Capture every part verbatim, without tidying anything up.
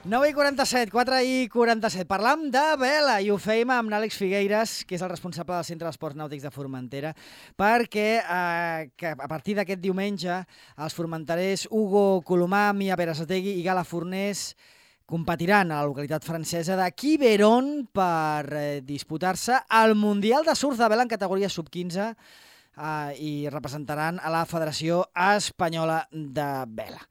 nou i quaranta-set, quatre i quaranta-set. Parlam de vela i ho fèiem amb l'Àlex Figueiras, que és el responsable del Centre d'Esports Nàutics de Formentera, perquè eh, que a partir d'aquest diumenge els formenterers Hugo Colomà, Mia Berasategui i Gala Fornés competiran a la localitat francesa de Quiberon per eh, disputar-se el Mundial de Surf de Vela en categoria sub quinze eh, i representaran a la Federació Espanyola de Vela.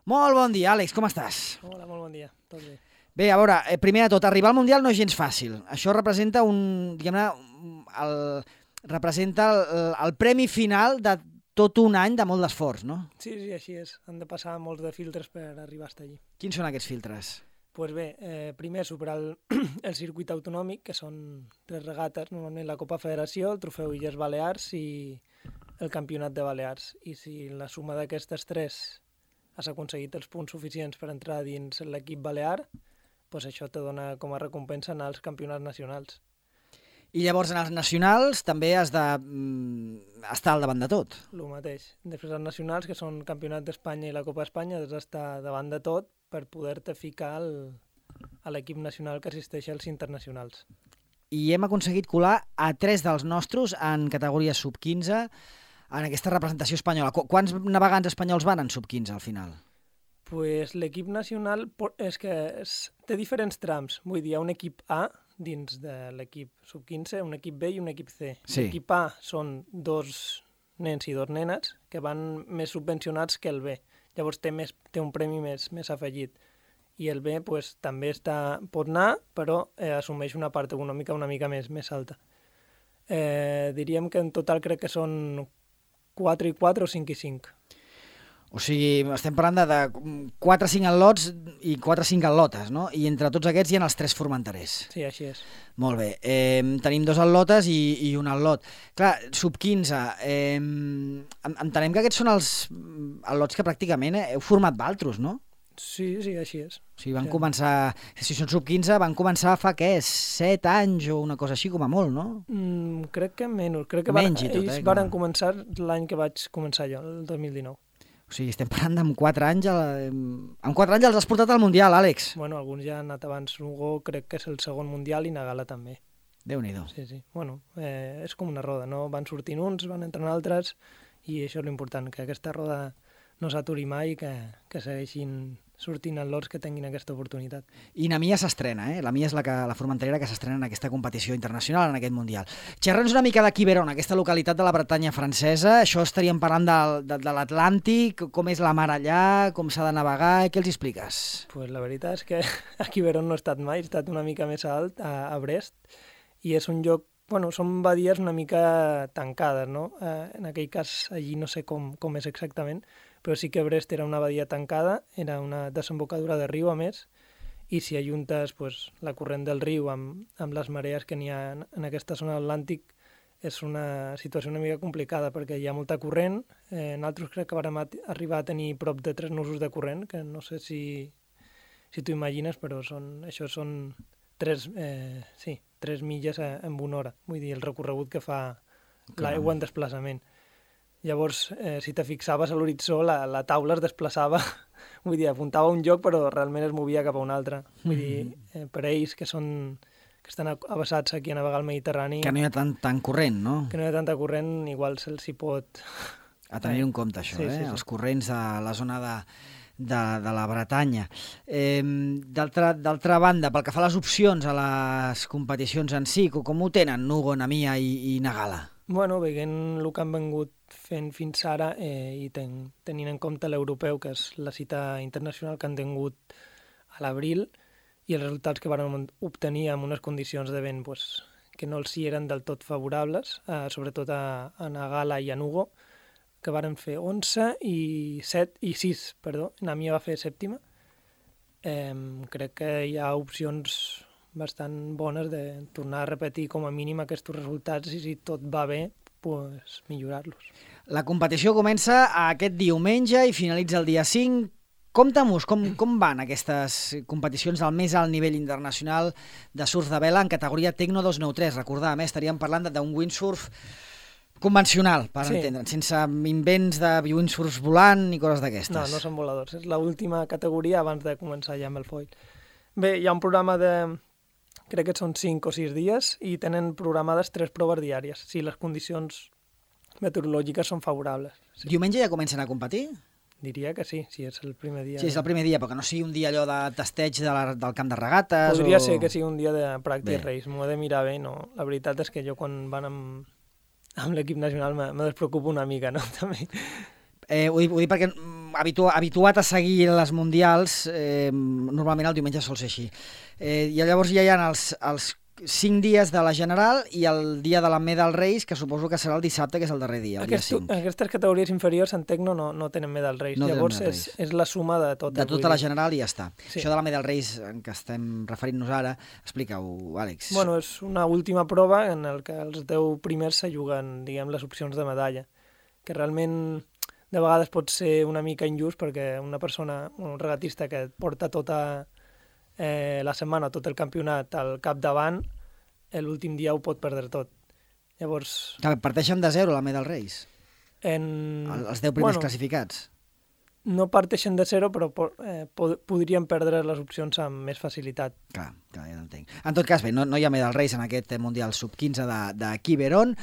Molt bon dia, Àlex, com estàs? Hola, molt bon dia, tot bé. Bé, a veure, eh, primer de tot, arribar al Mundial no és gens fàcil. Això representa un, diguem-ne, el, representa el, el premi final de tot un any de molt d'esforç, no? Sí, sí, així és. Han de passar molts de filtres per arribar a estar allí. Quins són aquests filtres? Doncs pues bé, eh, primer superar el, el circuit autonòmic, que són tres regates, normalment la Copa Federació, el Trofeu Illes Balears i el Campionat de Balears. I si la suma d'aquestes tres has aconseguit els punts suficients per entrar dins l'equip balear, doncs això te dona com a recompensa anar als campionats nacionals. I llavors en els nacionals també has de mm, estar al davant de tot. El mateix. Després els nacionals, que són Campionat d'Espanya i la Copa d'Espanya, has d'estar davant de tot per poder-te ficar al, a l'equip nacional que assisteix als internacionals. I hem aconseguit colar a tres dels nostres en categoria sub quinze en aquesta representació espanyola. Qu Quants navegants espanyols van en sub quinze al final? Pues l'equip nacional és que és, té diferents trams. Vull dir, hi ha un equip A dins de l'equip sub quinze, un equip B i un equip C. Sí. L'equip A són dos nens i dos nenes que van més subvencionats que el B. Llavors té, més, té un premi més, més afegit. I el B pues, també està, pot anar, però eh, assumeix una part econòmica una mica més, més alta. Eh, diríem que en total crec que són quatre i quatre o cinc i cinc. O sigui, estem parlant de, de quatre o cinc atlots i quatre o cinc atlotes, no? I entre tots aquests hi ha els tres formenterers. Sí, així és. Molt bé. Eh, tenim dos atlotes i, i un atlot. Clar, sub quinze, eh, entenem que aquests són els atlots que pràcticament heu format valtros, no? Sí, sí, així és. O sigui, van sí. començar, si són sub quinze, van començar fa, què, set anys o una cosa així com a molt, no? Mm, crec que menys. Crec que menys van, tot, ells eh, van començar l'any que vaig començar jo, el dos mil dinou. O sigui, estem parlant d'amb quatre anys, amb quatre anys els has portat al Mundial, Àlex. Bueno, alguns ja han anat abans. Hugo crec que és el segon Mundial i Nagala també. Déu-n'hi-do. Sí, sí. Bueno, eh, és com una roda, no? Van sortint uns, van entrant altres, i això és l'important, que aquesta roda no s'aturi mai i que, que segueixin sortint atlots que tinguin aquesta oportunitat. I la Mia s'estrena, eh? La Mia és la, que, la formenterera que s'estrena en aquesta competició internacional, en aquest Mundial. Xerra'ns una mica de Quiberon, aquesta localitat de la Bretanya francesa. Això estaríem parlant de, de, de l'Atlàntic, com és la mar allà, com s'ha de navegar, què els expliques? Pues la veritat és que a Quiberon no he estat mai, he estat una mica més alt, a, a Brest, i és un lloc, bueno, són badies una mica tancades, no? Eh, en aquell cas, allí no sé com, com és exactament, però sí que Brest era una badia tancada, era una desembocadura de riu a més, i si ajuntes pues, la corrent del riu amb, amb les marees que n'hi ha en, en aquesta zona atlàntic, és una situació una mica complicada, perquè hi ha molta corrent. Eh, nosaltres crec que vam arribar a tenir prop de tres nusos de corrent, que no sé si, si t'ho imagines, però són, això són tres, eh, sí, tres milles en una hora. Vull dir, el recorregut que fa l'aigua en desplaçament. Llavors, eh, si te fixaves a l'horitzó, la, la taula es desplaçava, vull dir, apuntava a un lloc, però realment es movia cap a un altre. Vull dir, eh, per ells que són que estan avasats aquí a navegar al Mediterrani... Que no hi ha tant, tant corrent, no? Que no hi ha tanta corrent, igual se'ls hi pot... A tenir en compte, això, sí, eh? Sí, sí. Els corrents de la zona de, de, de la Bretanya. Eh, D'altra banda, pel que fa a les opcions a les competicions en si, com ho tenen Hugo, Namia i, i Nagala? Bueno, veient el que han vengut fent fins ara eh, i ten, tenint en compte l'europeu, que és la cita internacional que han tingut a l'abril, i els resultats que van obtenir amb unes condicions de vent pues, que no els hi eren del tot favorables, eh, sobretot a, a Nagala i a Hugo, que varen fer onze i set i sis, perdó, Namia va fer sèptima. Eh, crec que hi ha opcions bastant bones de tornar a repetir com a mínim aquests resultats i si tot va bé, pues, millorar-los. La competició comença aquest diumenge i finalitza el dia cinc. Compte-mos, com, com van aquestes competicions al més alt nivell internacional de surf de vela en categoria Tecno dos nou tres? Recordàvem, eh? Estaríem parlant d'un windsurf convencional, per sí. entendre'n, sense invents de windsurfs volant ni coses d'aquestes. No, no són voladors. És l'última categoria abans de començar ja amb el foil. Bé, hi ha un programa de... crec que són cinc o sis dies i tenen programades tres proves diàries, si les condicions meteorològiques són favorables. Sí. Diumenge ja comencen a competir? Diria que sí, si és el primer dia. Sí, és el primer dia, però que no sigui un dia allò de testeig de la, del camp de regates. Podria o... ser que sigui un dia de practice bé. race, m'ho he de mirar bé, no? La veritat és que jo quan van amb, amb l'equip nacional me, me despreocupo una mica, no? També. Eh, ho, dic, ho dic perquè habitu, habituat a seguir les mundials, eh, normalment el diumenge sol ser així. Eh, I llavors ja hi ha els, els cinc dies de la General i el dia de la Medal Race, que suposo que serà el dissabte, que és el darrer dia, el Aquest, dia cinc. Aquestes categories inferiors en Tecno no, no tenen Medal Race, No llavors medal és, race. és la suma de tot. De tota la General i ja està. Sí. Això de la Medal Race en què estem referint-nos ara, explica-ho, Àlex. Bueno, és una última prova en el que els deu primers se juguen, diguem, les opcions de medalla, que realment de vegades pot ser una mica injust perquè una persona, un regatista que porta tota eh, la setmana, tot el campionat al capdavant, l'últim dia ho pot perdre tot. Llavors... Que parteixen de zero la Medal Race, En... els deu primers bueno, classificats. No parteixen de zero, però eh, pod podrien perdre les opcions amb més facilitat. Clar, clar, ja l'entenc. En tot cas, bé, no, no hi ha Medal Race en aquest Mundial sub quinze de, de Quiberon,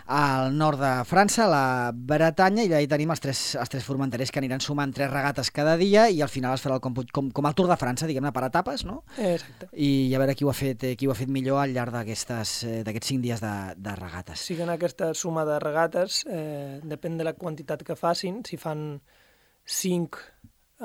al nord de França, la Bretanya, i allà hi tenim els tres, els tres formenterers que aniran sumant tres regates cada dia i al final es farà el còmput com, com el Tour de França, diguem-ne, per etapes, no? Exacte. I a veure qui ho ha fet, qui ho ha fet millor al llarg d'aquests cinc dies de, de regates. Sí que en aquesta suma de regates, eh, depèn de la quantitat que facin, si fan cinc,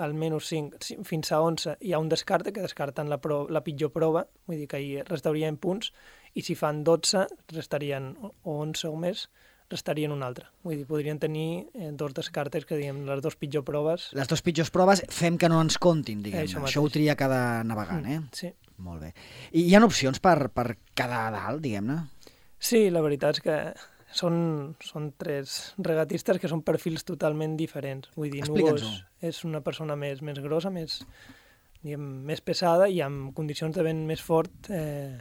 almenys cinc, fins a onze, hi ha un descarte, que descarten la, pro, la pitjor prova, vull dir que hi restarien punts, i si fan dotze, restarien, o onze o més, restarien un altre. Vull dir, podrien tenir eh, dos descartes, que diguem, les dues pitjors proves. Les dues pitjors proves fem que no ens comptin, diguem-ne. Això, Això ho tria cada navegant, eh? Mm, sí. Molt bé. I hi ha opcions per, per quedar a dalt, diguem-ne? Sí, la veritat és que són, són tres regatistes que són perfils totalment diferents. Vull dir, Nugos és una persona més, més grossa, més, diguem, més pesada i amb condicions de vent més fort eh,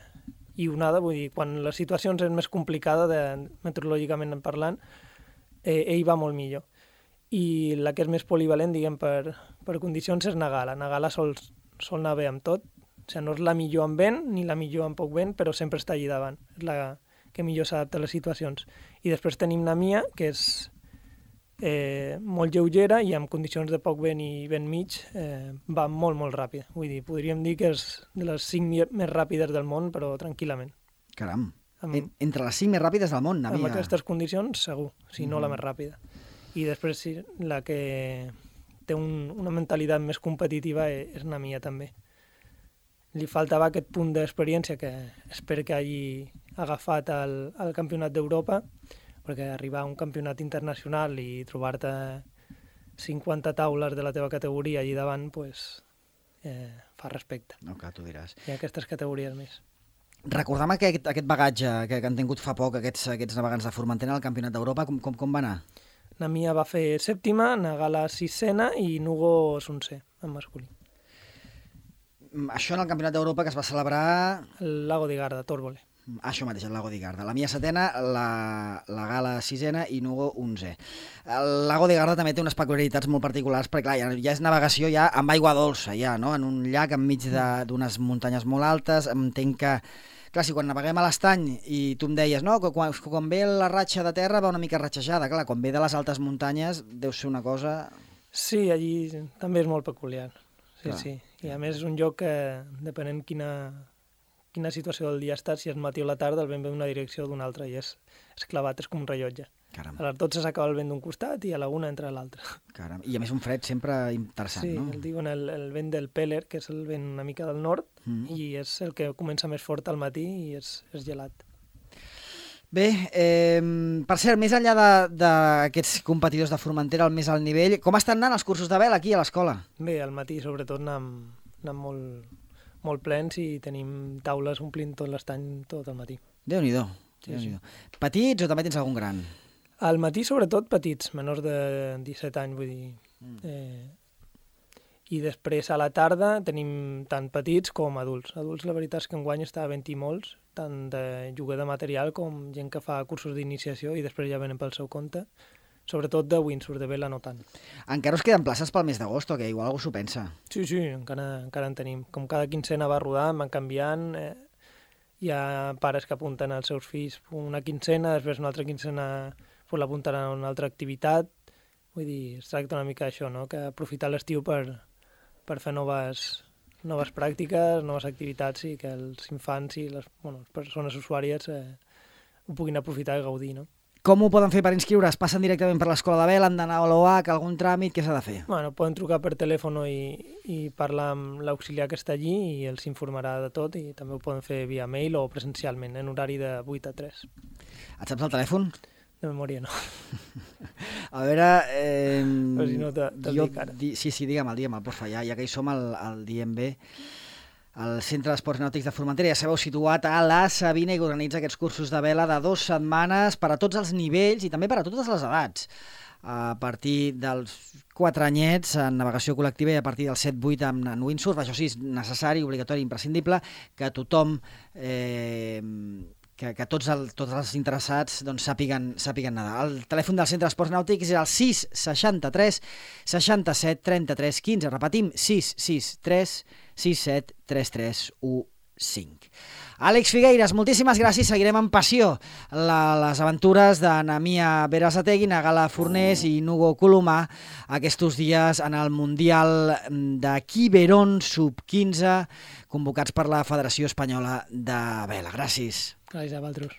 i onada. Vull dir, quan les situacions és més complicada, de, meteorològicament parlant, eh, ell va molt millor. I la que és més polivalent, diguem, per, per condicions és Nagala. Nagala sol, sol anar bé amb tot. O sigui, no és la millor amb vent ni la millor amb poc vent, però sempre està allà davant. És la que millor s'adapta a les situacions. I després tenim Namia, que és eh, molt lleugera i amb condicions de poc vent i vent mig eh, va molt, molt ràpida. Vull dir, podríem dir que és de les cinc més ràpides del món, però tranquil·lament. Caram, amb, entre les cinc més ràpides del món, Namia. Amb aquestes condicions, segur, si no mm. la més ràpida. I després sí, la que té un, una mentalitat més competitiva és Namia també. Li faltava aquest punt d'experiència que espero que hagi agafat al, al Campionat d'Europa, perquè arribar a un campionat internacional i trobar-te cinquanta taules de la teva categoria allà davant, pues, eh, fa respecte. No, clar, tu diràs. I aquestes categories més. Recorda'm aquest, aquest bagatge que, que han tingut fa poc aquests, aquests navegants de Formentera al Campionat d'Europa, com, com, com va anar? Namia va fer sèptima, Nagala sisena i Nugo onzè, en masculí. Això en el Campionat d'Europa que es va celebrar... El Lago de Garda, Torbole. Això mateix, el Lago de Garda. La Mia setena, la, la Gala sisena i Nugo onzè. El Lago de Garda també té unes peculiaritats molt particulars, perquè clar, ja, ja és navegació ja amb aigua dolça, ja, no? En un llac enmig d'unes muntanyes molt altes. Entenc que, clar, si quan naveguem a l'estany i tu em deies, no, que quan, quan ve la ratxa de terra va una mica ratxejada, clar, quan ve de les altes muntanyes deu ser una cosa... Sí, allí també és molt peculiar. Sí, clar. Sí. I a més és un lloc que, depenent quina, quina situació del dia estàs, si és matí o la tarda, el vent ve d'una direcció o d'una altra, i és, és clavat, és com un rellotge. Caram. A les dotze s'acaba el vent d'un costat i a la una entra a l'altre. Caram. I a més un fred sempre interessant, sí, no? Sí, el diuen el, el vent del Peller, que és el vent una mica del nord, mm. i és el que comença més fort al matí i és, és gelat. Bé, eh, per cert, més enllà d'aquests competidors de Formentera al més alt nivell, com estan anant els cursos de vela aquí a l'escola? Bé, al matí sobretot anem, anem molt, molt plens i tenim taules omplint tot l'estany tot el matí. Déu-n'hi-do. Sí, Déu-n'hi-do. sí. Petits o també tens algun gran? Al matí sobretot petits, menors de disset anys, vull dir. Mm. Eh, I després a la tarda tenim tant petits com adults. Adults la veritat és que enguany està havent i molts, tant de lloguer de material com gent que fa cursos d'iniciació i després ja venen pel seu compte. sobretot de windsurf, de vela no tant. Encara us queden places pel mes d'agost, o que igual algú s'ho pensa? Sí, sí, encara, encara en tenim. Com cada quincena va rodant, van canviant, eh, hi ha pares que apunten als seus fills una quincena, després una altra quincena pues, l'apunten a una altra activitat. Vull dir, es tracta una mica d'això, no? Que aprofitar l'estiu per, per fer noves, noves pràctiques, noves activitats i que els infants i les, bueno, les persones usuàries eh, ho puguin aprofitar i gaudir, no? Com ho poden fer per inscriure's? Passen directament per l'escola de vela, han d'anar a l'O H, algun tràmit, què s'ha de fer? Bueno, poden trucar per telèfon i, i parlar amb l'auxiliar que està allí i els informarà de tot i també ho poden fer via mail o presencialment, en horari de vuit a tres. Et saps el telèfon? De memòria no. A veure... Eh, Però si no te, te jo, dic ara. Di, sí, sí, digue'm, digue'm, porfa, ja, ja que hi som, el, el diem bé. El Centre d'Esports Nàutics de Formentera, ja sabeu, situat a la Sabina i que organitza aquests cursos de vela de dues setmanes per a tots els nivells i també per a totes les edats. A partir dels quatre anyets en navegació col·lectiva i a partir dels set vuit en, en windsurf. Això sí, és necessari, obligatori, imprescindible, que tothom... Eh, que, que tots, el, tots els interessats doncs, sàpiguen, sàpiguen nedar. El telèfon del Centre d'Esports Nàutics és el sis seixanta-tres seixanta-set trenta-tres quinze. Repetim, sis sis tres sis set tres tres u cinc. Àlex Figueiras, moltíssimes gràcies. Seguirem amb passió la, les aventures de Namia Berasategui, Nagala Fornés i Nugo Colomà aquests dies en el Mundial de Quiberon sub quinze convocats per la Federació Espanyola de Vela. Gràcies. Gràcies a vosaltres.